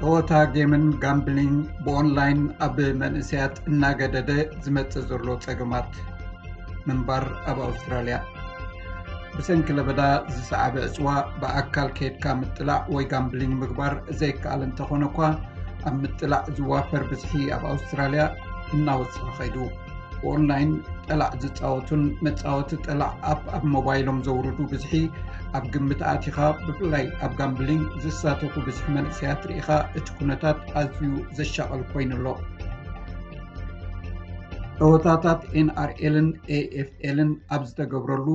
ጸወታ ጌምን ጋምብሊንግ ብኦንላይን ኣብ መንእሰያት እናገደደ ዝመጽእ ዘሎ ጸገማት ምንባር ኣብ ኣውስትራልያ። ብሰንኪ ለበዳ ዝሰዓበ ዕጽዋ ብኣካል ከይድካ ምጥላዕ ወይ ጋምብሊንግ ምግባር ዘይከኣል እንተኾነ እኳ፣ ኣብ ምጥላዕ ዝዋፈር ብዝሒ ኣብ ኣውስትራልያ እናወሰኸ ኸይዱ። ብኦንላይን ጠላዕ ዝጻወቱን መጻወቲ ጠላዕ ኣፕ ኣብ ሞባይሎም ዘውርዱ ብዝሒ ኣብ ግምት ኣቲኻ፣ ብፍላይ ኣብ ጋምብሊንግ ዝሳተፉ ብዝሒ መንእሰያት ርኢኻ፣ እቲ ኩነታት ኣዝዩ ዘሻቐል ኮይኑ ኣሎ። ጸወታታት ኤንኣርኤልን ኤኤፍኤልን ኣብ ዝተገብረሉ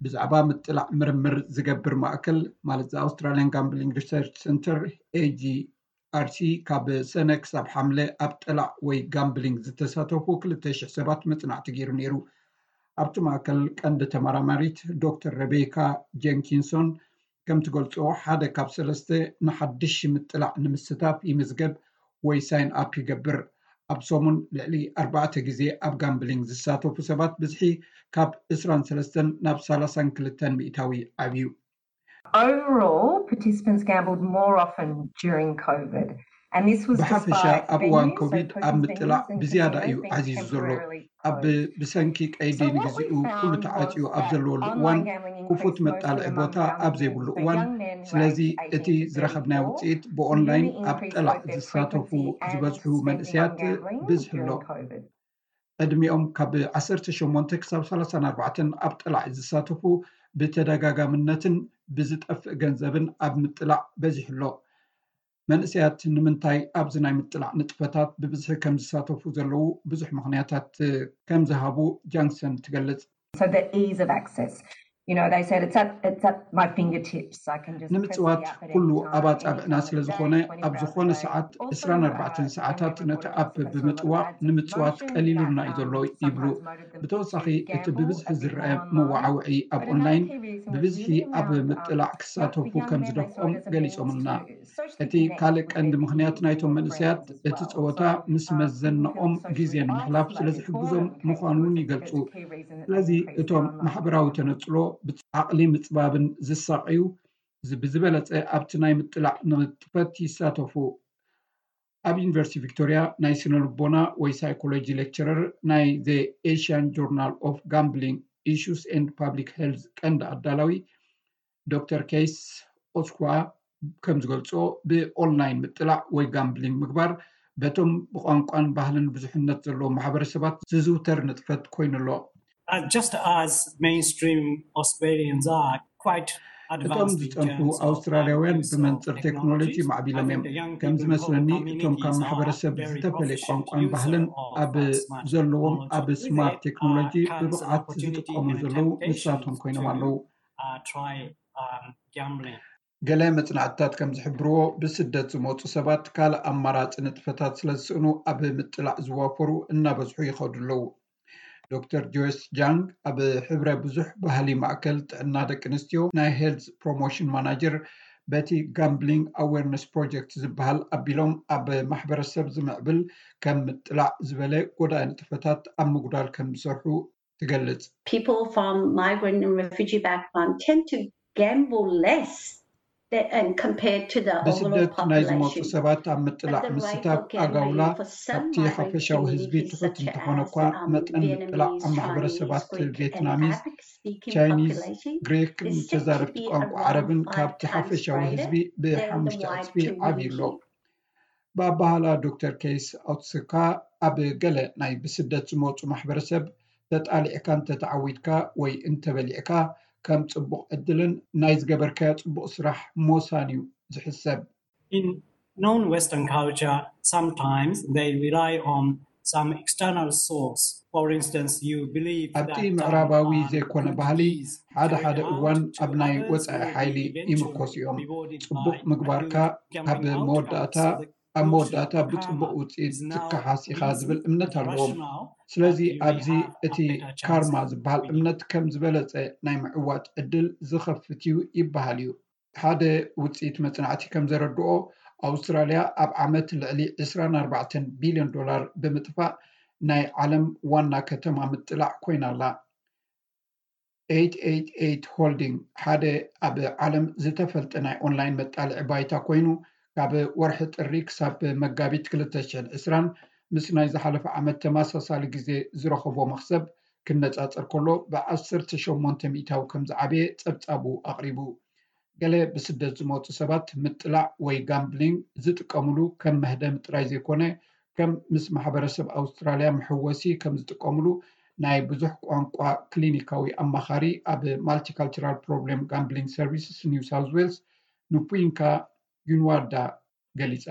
ብዛዕባ ምጥላዕ ምርምር ዝገብር ማእከል፣ ማለት ዘ ኣውስትራልያን ጋምብሊንግ ሪሰርች ሰንተር፣ ኤጂ ኣርሲ፣ ካብ ሰነ ክሳብ ሓምለ ኣብ ጠላዕ ወይ ጋምብሊንግ ዝተሳተፉ ክልተ ሽሕ ሰባት መጽናዕቲ ገይሩ ነይሩ። ኣብቲ ማእከል ቀንዲ ተመራማሪት ዶክተር ረቤካ ጀንኪንሶን ከም ትገልጾ፣ ሓደ ካብ ሰለስተ ንሓድሽ ምጥላዕ ንምስታፍ ይምዝገብ ወይ ሳይን ኣፕ ይገብር። ኣብ ሰሙን ልዕሊ ኣርባዕተ ግዜ ኣብ ጋምብሊንግ ዝሳተፉ ሰባት ብዝሒ ካብ ዕስራን ሰለስተን ናብ ሰላሳን ክልተን ሚእታዊ ዓብዩ። Overall, participants gambled more often during COVID. And this was ብሓፈሻ despite ኣብ እዋን venues ኮቪድ ኣብ open to ምጥላዕ venues and ብዝያዳ እዩ casinos being ዓዚዙ ዘሎ። temporarily ኣብ closed. ብሰንኪ ቀይዲ So what we ንግዚኡ ኩሉ found was ተዓጽዩ ኣብ that ዘለወሉ online እዋን gambling ክፉት increased መጣልዒ mostly ቦታ among ኣብ young ዘይብሉ men. So እዋን። Young men were ስለዚ aged እቲ eighteen to ዝረኸብናዮ thirty-four ውፅኢት ብኦንላይን really ኣብ increased ጠላዕ both their ዝሳተፉ frequency and ዝበዝሑ spending መንእሰያት on gambling ብዝሒ ኣሎ። During COVID. ዕድሚኦም ካብ ዓሰርተ ሸሞንተ ክሳብ ሰላሳን ኣርባዕተን ኣብ ጠላዕ ዝሳተፉ ብተደጋጋምነትን ብዝጠፍእ ገንዘብን ኣብ ምጥላዕ በዚሑ ኣሎ። መንእሰያት ንምንታይ ኣብዚ ናይ ምጥላዕ ንጥፈታት ብብዝሒ ከም ዝሳተፉ ዘለዉ ብዙሕ ምኽንያታት ከም ዝሃቡ ጃንክሰን ትገልጽ። So the ease of access. You know, they said it's at it's at my fingertips. I can just press the ንምጽዋት app at ኩሉ any time, ኣብ any ኣጻብዕና time ስለ of the ዝኾነ day, twenty-four ኣብ ዝኾነ hours a day. ሰዓት Also, ዕስራን ኣርባዕተን um, ሰዓታት whenever ነቲ I've got ኣፕ participants who are ብምጽዋዕ looking to add some ንምጽዋት motion, ቀሊሉልና that, እዩ ዘሎ um, ይብሉ። sometimes motive them ብተወሳኺ to እቲ gamble ብብዝሒ a bit ዝረአ more in መዋዓውዒ ኣብ ኦንላይን But another key reason is ብብዝሒ really ኣብ around, um, ምጥላዕ the, ክሳተፉ the young ከም men they saw ዝደፍኦም it as a means ገሊጾምልና። to socially እቲ connect ካልእ with ቀንዲ their ምኽንያት peers ናይቶም or መንእሰያት friends as እቲ well. ጸወታ So, ምስ um, መዘንኦም including social ግዜ ንምሕላፍ ስለ bonding, like, ዝሕግዞም online case ምዃኑን was a, ይገልጹ። that's a key reason that they ስለዚ increased their እቶም online ማሕበራዊ gambling. ተነጽሎ ብዓቕሊ ምጽባብን ዝሳቐዩ ዝ- ብዝበለጸ ኣብቲ ናይ ምጥላዕ ንጥፈት ይሳተፉ። ኣብ ዩኒቨርሲቲ ቪክቶሪያ ናይ ስነ ልቦና ወይ ሳይኮሎጂ ሌክቸረር ናይ The Asian Journal of Gambling Issues and Public Health ቀንዲ ኣዳላዊ ዶክተር ኬይስ ኦስኳ ከም ዝገልጾ፣ ብኦንላይን ምጥላዕ ወይ ጋምብሊንግ ምግባር በቶም ብቋንቋን ባህልን ብዙሕነት ዘለዎም ማሕበረሰባት ዝዝውተር ንጥፈት ኮይኑ ኣሎ። Uh, just as mainstream Australians are quite እቶም ዝጸንሑ ኣውስትራልያውያን ብመንጽር ቴክኖሎጂ ማዕቢሎም እዮም። ከም ዝመስለኒ፣ እቶም ካብ ማሕበረሰብ ዝተፈለየ ቋንቋን ባህልን ኣብ ዘለዎም ኣብ ስማርት ቴክኖሎጂ ብብቕዓት ዝጥቀሙ ዘለዉ ንሳቶም ኮይኖም ኣለዉ። ገለ መጽናዕትታት ከም ዝሕብርዎ፣ ብስደት ዝመጹ ሰባት ካልእ ኣማራጺ ንጥፈታት ስለ ዝስእኑ ኣብ ምጥላዕ ዝዋፈሩ እናበዝሑ ይኸዱ ኣለዉ። ዶክተር ጆይስ ጃንግ ኣብ ሕብረ ብዙሕ ባህሊ ማእከል ጥዕና ደቂ ኣንስትዮ ናይ ሄልዝ ፕሮሞሽን ማናጀር፣ በቲ ጋምብሊንግ ኣዌርነስ ፕሮጀክት ዝበሃል ኣቢሎም ኣብ ማሕበረሰብ ዝምዕብል ከም ምጥላዕ ዝበለ ጎዳኢ ንጥፈታት ኣብ ምጉዳል ከም ዝሰርሑ ትገልጽ። People from migrant and refugee background tend to gamble less than, and compared to the overall ብስደት ናይ ዝመጹ population. ሰባት ኣብ ምጥላዕ ምስታፍ ኣጋውላ ካብቲ ሓፈሻዊ ህዝቢ ትሑት እንተኾነ እኳ፣ መጠን ምጥላዕ ኣብ ማሕበረሰባት ቬትናሚዝ፣ ቻይኒዝ፣ ግሪክ፣ ተዛረብቲ ቋንቋ ዓረብን ካብቲ ሓፈሻዊ ህዝቢ ብሓሙሽተ ዕጽፊ ዓብዩ ኣሎ። ብኣባህላ ዶክተር ኬይስ ኣውትስካ፣ ኣብ ገለ ናይ ብስደት ዝመጹ ማሕበረሰብ፣ ተጣሊዕካ እንተተዓዊትካ ወይ እንተበሊዕካ፣ ከም ጽቡቕ ዕድልን ናይ ዝገበርካዮ ጽቡቕ ስራሕ ሞሳን እዩ ዝሕሰብ። In non-Western culture, sometimes they rely on some external source. For instance, you believe ኣብቲ that, um, ምዕራባዊ um, ዘይኮነ good ባህሊ፣ deeds ሓደ carried ሓደ out እዋን to ኣብ ናይ others ወጻኢ will ሓይሊ be ይምርኮሱ eventually እዮም። rewarded ጽቡቕ by a ምግባርካ good gambling ካብ outcome. መወዳእታ፣ So ኣብ the መወዳእታ karma ብጽቡቕ ውጽኢት is now ዝከሓስ ኢኻ easy ዝብል እምነት and ኣለዎም። rational ስለዚ that you may ኣብዚ have a እቲ better chance ካርማ to ዝበሃል win. እምነት ከም ዝበለጸ ናይ ምዕዋት ዕድል ዝኸፍት እዩ ይበሃል እዩ። ሓደ ውጽኢት መጽናዕቲ ከም ዘረድኦ፣ ኣውስትራልያ ኣብ ዓመት ልዕሊ ዕስራን ኣርባዕተን ቢልዮን ዶላር ብምጥፋእ ናይ ዓለም ዋና ከተማ ምጥላዕ ኮይና ኣላ። ኤይት ኤይት ኤይት ሆልዲንግ ሓደ ኣብ ዓለም ዝተፈልጠ ናይ ኦንላይን መጣልዒ ባይታ ኮይኑ፣ ካብ ወርሒ ጥሪ ክሳብ መጋቢት ክልተ ሽሕን ዕስራን ምስ ናይ ዝሓለፈ ዓመት ተመሳሳሊ ግዜ ዝረኸቦ መኽሰብ ክነጻጸር ከሎ ብ ዓሰርተ ሸሞንተ ሚእታዊ ከም ዝዓበየ ጸብጻቡ ኣቕሪቡ። ገለ ብስደት ዝመጹ ሰባት ምጥላዕ ወይ ጋምብሊንግ ዝጥቀምሉ ከም መህደሚ ጥራይ ዘይኮነ ከም ምስ ማሕበረሰብ ኣውስትራልያ መሐወሲ ከም ዝጥቀምሉ ናይ ብዙሕ ቋንቋ ክሊኒካዊ ኣማኻሪ ኣብ Multicultural Problem Gambling Services New South Wales ንፑይንካ ጊንዋዳ ገሊጻ።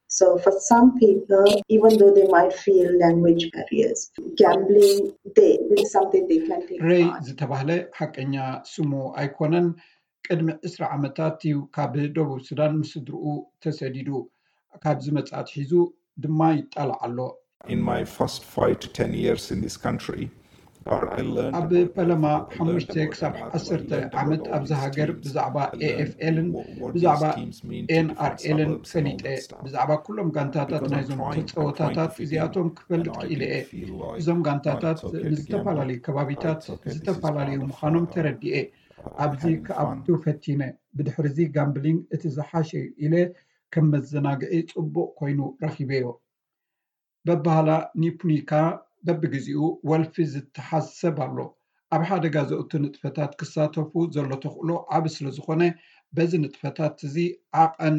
So for some people, even though they might feel language barriers, gambling they, is something they can take ሬይ part. ዝተባህለ ሓቀኛ ስሙ ኣይኮነን። ቅድሚ ዕስራ ዓመታት እዩ ካብ ደቡብ ሱዳን ምስ ስድርኡ ተሰዲዱ። ካብ ዝመጽእ ኣትሒዙ ድማ ይጣላዕ ኣሎ። In my first five to ten years in this country, what I learned ኣብ about ፈለማ AFL, I learned ሓሙሽተ about ክሳብ another, I ዓሰርተ learned about ዓመት ኣብዚ this ሃገር scheme. ብዛዕባ I learned ኤኤፍኤልን what, what these ብዛዕባ schemes mean to different ኤንኣርኤልን suburbs and all ፈሊጠ። that stuff. ብዛዕባ ኩሎም ጋንታታት Because I'm ናይዞም trying, I'm trying ተጻወታታት to feel እዚኣቶም like, you ክፈልጥ know, I ክኢለ can እየ። feel like, እዞም "Oh, ጋንታታት it's okay to gamble. ንዝተፈላለዩ Oh, ከባቢታት it's okay. This is part ዝተፈላለዩ of ምዃኖም uh, ተረዲኤ። uh, ኣብዚ having fun." ክኣቱ ፈቲነ። ብድሕርዚ ጋምብሊንግ እቲ ዝሓሸ እዩ ኢለ ከም መዘናግዒ ጽቡቕ ኮይኑ ረኺበዮ። በባህላ ኒፑኒካ በብግዜኡ ወልፊ ዝተሓሰብ ኣሎ። ኣብ ሓደጋ ዘእቱ ንጥፈታት ክሳተፉ ዘሎ ተኽእሎ ዓቢ ስለ ዝኾነ በዚ ንጥፈታት እዚ ዓቐን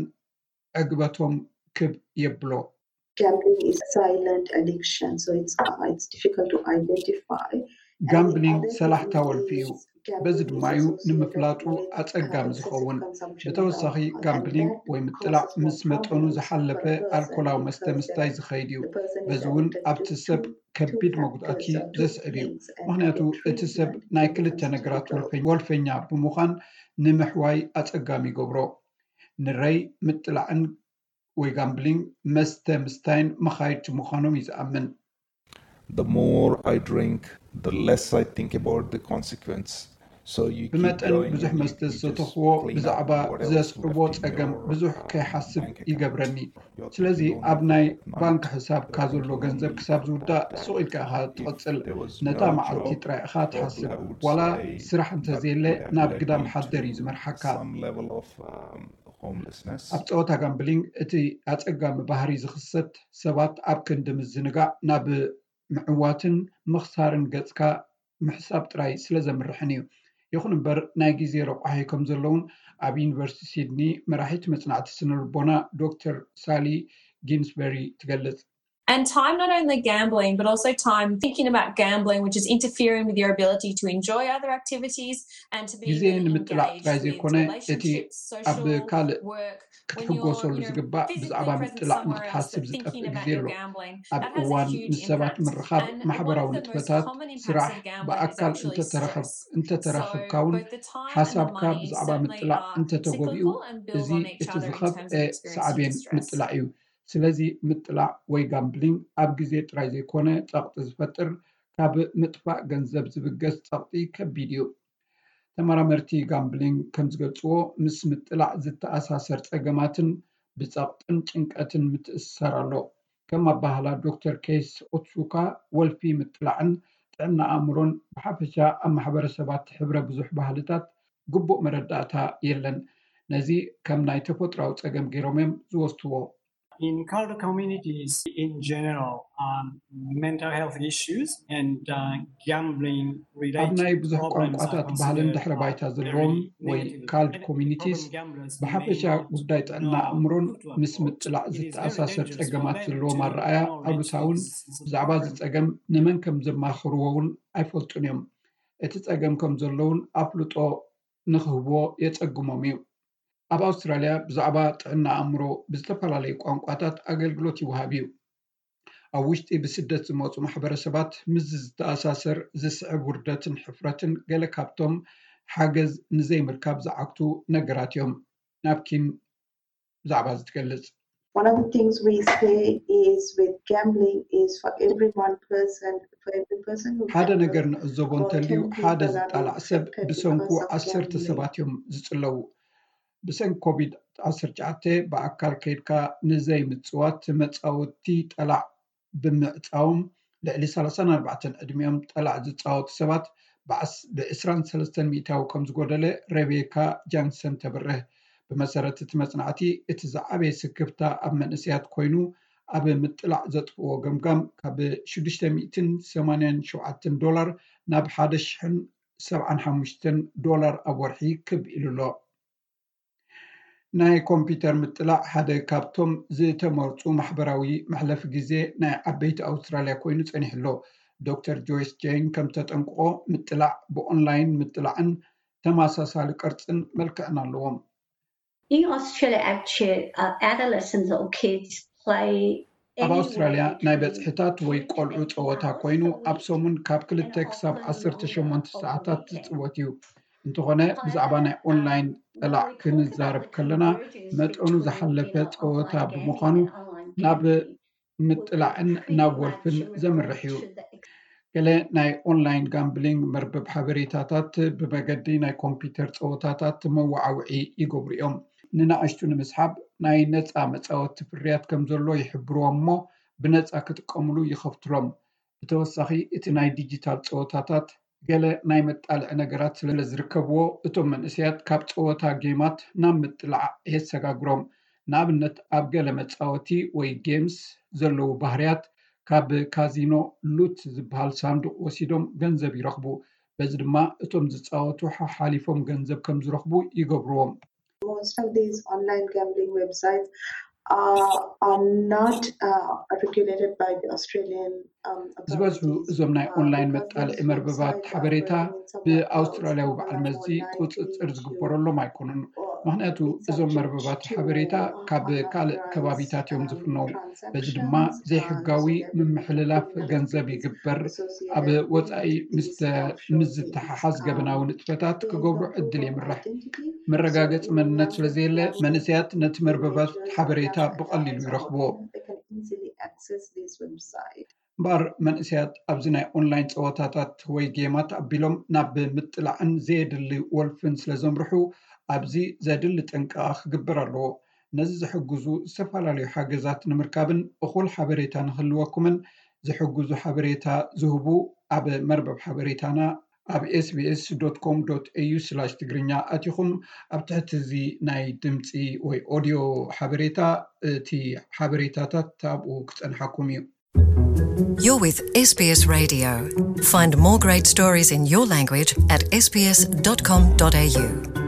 ዕግበቶም ክብ የብሎ። Gambling is a silent addiction, so it's uh, it's difficult to identify. And the ጋምብሊንግ other ሰላሕታ thing ወልፊ እዩ። is በዚ gambling ድማ is እዩ associated ንምፍላጡ with uh, ኣጸጋሚ excessive ዝኸውን። consumption of ብተወሳኺ alcohol, and ጋምብሊንግ that ወይ ምጥላዕ causes more ምስ መጠኑ problems ዝሓለፈ for a person ኣልኮላዊ መስተ because ምስታይ then ዝኸይድ እዩ። the person is በዚ እውን addicted ኣብቲ to ሰብ two ከቢድ መጉዳእቲ factors or two ዘስዕብ እዩ። things, and ምክንያቱ other three እቲ ሰብ different ናይ different ክልተ things to ነገራት develop. ወልፈ- ወልፈኛ ብምዃን ንምሕዋይ ኣጸጋሚ ይገብሮ። ንረይ ምጥላዕን ወይ ጋምብሊንግ መስተ ምስታይን መኻይድቲ ምዃኖም እዩ ዝኣምን። The more I drink, the less I think about the consequence. So you keep ብመጠን going ብዙሕ and you, መስተ you just ዝተኽዎ clean up ብዛዕባ whatever's ዘስዕቦ left in ጸገም your ብዙሕ uh, ከይሓስብ bank account. ይገብረኒ። You're ስለዚ thinking only ኣብ ናይ about ባንክ night. ሕሳብካ You're ዘሎ thinking ገንዘብ only ክሳብ ዝውዳእ that ሱቕ ኢልካ ኢኻ if ትቐጽል። there was ነታ no መዓልቲ job, ጥራይ ኢኻ probably ትሓስብ። I would ዋላ say ስራሕ that እንተዘየለ would have ናብ led ግዳም me ሓደር እዩ to ዝመርሓካ። some level of um, homelessness. ኣብ ጸወታ ጋምብሊንግ እቲ ኣጸጋሚ ባህሪ ዝኽሰት ሰባት ኣብ ክንዲ ምዝንጋዕ ናብ ምዕዋትን ምኽሳርን ገጽካ ምሕሳብ ጥራይ ስለ ዘምርሕን እዩ። ይኹን እምበር ናይ ግዜ ረቋሒ ከም ዘለውን ኣብ ዩኒቨርሲቲ ሲድኒ መራሒት መጽናዕቲ ስነ ልቦና ዶክተር ሳሊ ጊንስበሪ ትገልጽ። And time not only gambling, but also time thinking about gambling, which is interfering with your ability to enjoy other activities and to be ግዜ really ንምጥላዕ engaged ጥራይ with ዘይኮነ እቲ relationships, ኣብ social ካልእ work. When you're, ክትሕጎሰሉ you know, ዝግባእ physically ብዛዕባ present ምጥላዕ somewhere else, ንክትሓስብ but ዝጠፍእ thinking ግዜ about your ኣሎ። gambling, ኣብ that has a እዋን huge ምስ ሰባት impact. ምርኻብ፣ And ማሕበራዊ one of the most ንጥፈታት፣ common impacts ስራሕ፣ of gambling is ብኣካል actually እንተተረኸብ- stress. እንተተራኸብካውን So both the time and the ሓሳብካ money ብዛዕባ certainly ምጥላዕ are እንተተጎቢኡ cyclical and build እዚ on each እቲ other in ዝኸፍአ terms of experiencing ሳዕቤን stress. ምጥላዕ እዩ። ስለዚ ምጥላዕ ወይ ጋምብሊንግ ኣብ ግዜ ጥራይ ዘይኮነ ጸቕጢ ዝፈጥር፣ ካብ ምጥፋእ ገንዘብ ዝብገስ ጸቕጢ ከቢድ እዩ። ተመራመርቲ ጋምብሊንግ ከም ዝገልጽዎ ምስ ምጥላዕ ዝተኣሳሰር ጸገማትን ብጸቕጥን ጭንቀትን ምትእስሳር ኣሎ። ከም ኣባህላ ዶክተር ኬስ ኦትሱካ ወልፊ ምጥላዕን ጥዕና ኣእምሮን ብሓፈሻ ኣብ ማሕበረሰባት ሕብረ ብዙሕ ባህልታት ግቡእ መረዳእታ የለን። ነዚ ከም ናይ ተፈጥሮኣዊ ጸገም ገይሮም እዮም ዝወስድዎ። In cult communities in general, um, mental health issues and uh, gambling ኣብ ናይ related ብዙሕ problems are ቋንቋታት ባህልን considered ድሕሪ uh, ባይታ very ዘለዎም ወይ negative. ካልድ And ኮሚኒቲስ problem gamblers may ብሓፈሻ not ጉዳይ ጥዕና know ኣእምሮን who to ምስ approach. ምጥላዕ It is very ዝተኣሳሰር dangerous for ጸገማት them ዘለዎም to ኣረኣያ know ኣሉታውን which is, is a ብዛዕባ እዚ problem. ጸገም ንመን ከም ዘማኽርዎ እውን ኣይፈልጡን እዮም። እቲ ጸገም ከም ዘለውን ኣፍልጦ ንክህብዎ የጸግሞም እዩ። ኣብ ኣውስትራልያ ብዛዕባ ጥዕና ኣእምሮ ብዝተፈላለዩ ቋንቋታት ኣገልግሎት ይወሃብ እዩ። ኣብ ውሽጢ ብስደት ዝመጹ ማሕበረሰባት ምስዚ ዝተኣሳሰር ዝስዕብ ውርደትን ሕፍረትን ገለ ካብቶም ሓገዝ ንዘይምርካብ ዝዓግቱ ነገራት እዮም። ናፕኪን ብዛዕባ እዚ ትገልጽ። One of the things we say is with gambling is for every one person, for every person who ሓደ ነገር gambles, ንዕዘቦ about እንተልዩ ten ሓደ people are being ዝጣላዕ ሰብ affected ብሰንኩ because of ዓሰርተ gambling. ሰባት እዮም ዝጽለዉ። ብሰንኪ ኮቪድ ዓሰርተ ትሽዓተ ብኣካል ከይድካ ንዘይምጽዋት መጻወቲ ጠላዕ ብምዕጻዎም ልዕሊ ሰላሳን ኣርባዕተን ዕድሚኦም ጠላዕ ዝጻወቱ ሰባት ብዓስ- ብ ዕስራን ሰለስተን ሚእታዊ ከም ዝጎደለ ሬቤካ ጃንሰን ተብርህ። ብመሰረት እቲ መፅናዕቲ፣ እቲ ዝዓበየ ስክፍታ ኣብ መንእሰያት ኮይኑ፣ ኣብ ምጥላዕ ዘጥፍዎ ገምጋም ካብ ሽዱሽተ ሚእትን ሰማንያን ሸውዓተን ዶላር ናብ ሓደ ሽሕን ሰብዓን ሓሙሽተን ዶላር ኣብ ወርሒ ክብ ኢሉ ኣሎ። ናይ ኮምፒውተር ምጥላዕ ሓደ ካብቶም ዝተመርፁ ማሕበራዊ መሕለፊ ግዜ ናይ ዓበይቲ ኣውስትራልያ ኮይኑ ፀኒሑ ኣሎ። ዶክተር ጆይስ ጄን ከም ተጠንቅቆ፣ ምጥላዕ ብኦንላይን ምጥላዕን ተመሳሳሊ ቅርፅን መልክዕን ኣለዎም። In Australia, actually, uh, adolescents or kids play ኣብ ኣውስትራልያ ናይ በፅሕታት ወይ ቆልዑ ፀወታ ኮይኑ፣ ኣብ ሰሙን ካብ ክልተ ክሳብ ዓሰርተ ሸሞንተ ሰዓታት ዝፅወት እዩ። እንተኾነ፣ ብዛዕባ ናይ ኦንላይን ጠላዕ ክንዛረብ ከለና፣ መጠኑ ዝሓለፈ ፀወታ ብምዃኑ፣ ናብ ምጥላዕን ናብ ወልፍን ዘምርሕ እዩ። ገለ ናይ ኦንላይን ጋምብሊንግ መርበብ ሓበሬታታት ብመገዲ ናይ ኮምፒውተር ፀወታታት መወዓውዒ ይገብሩ እዮም። ንናእሽቱ ንምስሓብ ናይ ነፃ መፃወቲ ፍርያት ከም ዘሎ ይሕብርዎም እሞ፣ ብነፃ ክጥቀምሉ ይኸፍትሎም። ብተወሳኺ፣ እቲ ናይ ዲጂታል ፀወታታት ገለ ናይ መጣልዒ ነገራት ስለ ዝርከብዎ፣ እቶም መንእሰያት ካብ ፀወታ ጌማት ናብ ምጥላዕ የሰጋግሮም። ንኣብነት፣ ኣብ ገለ መፃወቲ ወይ ጌምስ ዘለዉ ባህርያት፣ ካብ ካዚኖ ሉት ዝበሃል ሳንዱቕ ወሲዶም ገንዘብ ይረኽቡ። በዚ ድማ እቶም ዝፃወቱ ሓሓሊፎም ገንዘብ ከም ዝረኽቡ ይገብርዎም። Most of these online gambling websites are, are not uh, regulated by the Australian. Um, ዝበዝሑ እዞም ናይ ኦንላይን መጣልዒ መርበባት ሓበሬታ ብኣውስትራልያዊ በዓል መዚ ቁፅፅር ዝግበረሎም ኣይኮኑን። ምክንያቱ፣ እዞም መርበባት ሓበሬታ ካብ ካልእ ከባቢታት እዮም ዝፍነው። በዚ ድማ ዘይሕጋዊ ምምሕልላፍ ገንዘብ ይግበር። ኣብ ወፃኢ ምስ ዝተሓሓዝ ገበናዊ ንጥፈታት ክገብሩ ዕድል የምርሕ። መረጋገፂ መንነት ስለዘየለ፣ መንእሰያት ነቲ መርበባት ሓበሬታ ብቐሊሉ ይረኽብዎ። እምበኣር፣ መንእሰያት ኣብዚ ናይ ኦንላይን ፀወታታት ወይ ጌማት ኣቢሎም ናብ ምጥላዕን ዘየድሊ ወልፍን ስለዘምርሑ፣ ኣብዚ ዘድሊ ጥንቃቐ ክግበር ኣለዎ። ነዚ ዝሕግዙ ዝተፈላለዩ ሓገዛት ንምርካብን እኹል ሓበሬታ ንክህልወኩምን ዝሕግዙ ሓበሬታ ዝህቡ ኣብ መርበብ ሓበሬታና ኣብ ኤስቢኤስ ዶት ኮም ዶት ኤዩ ስላሽ ትግርኛ ኣቲኹም ኣብ ትሕቲ እዚ ናይ ድምፂ ወይ ኦድዮ ሓበሬታ እቲ ሓበሬታታት ኣብኡ ክፀንሓኩም እዩ። You're with S B S Radio. Find more great stories in your language at S B S dot com dot A U.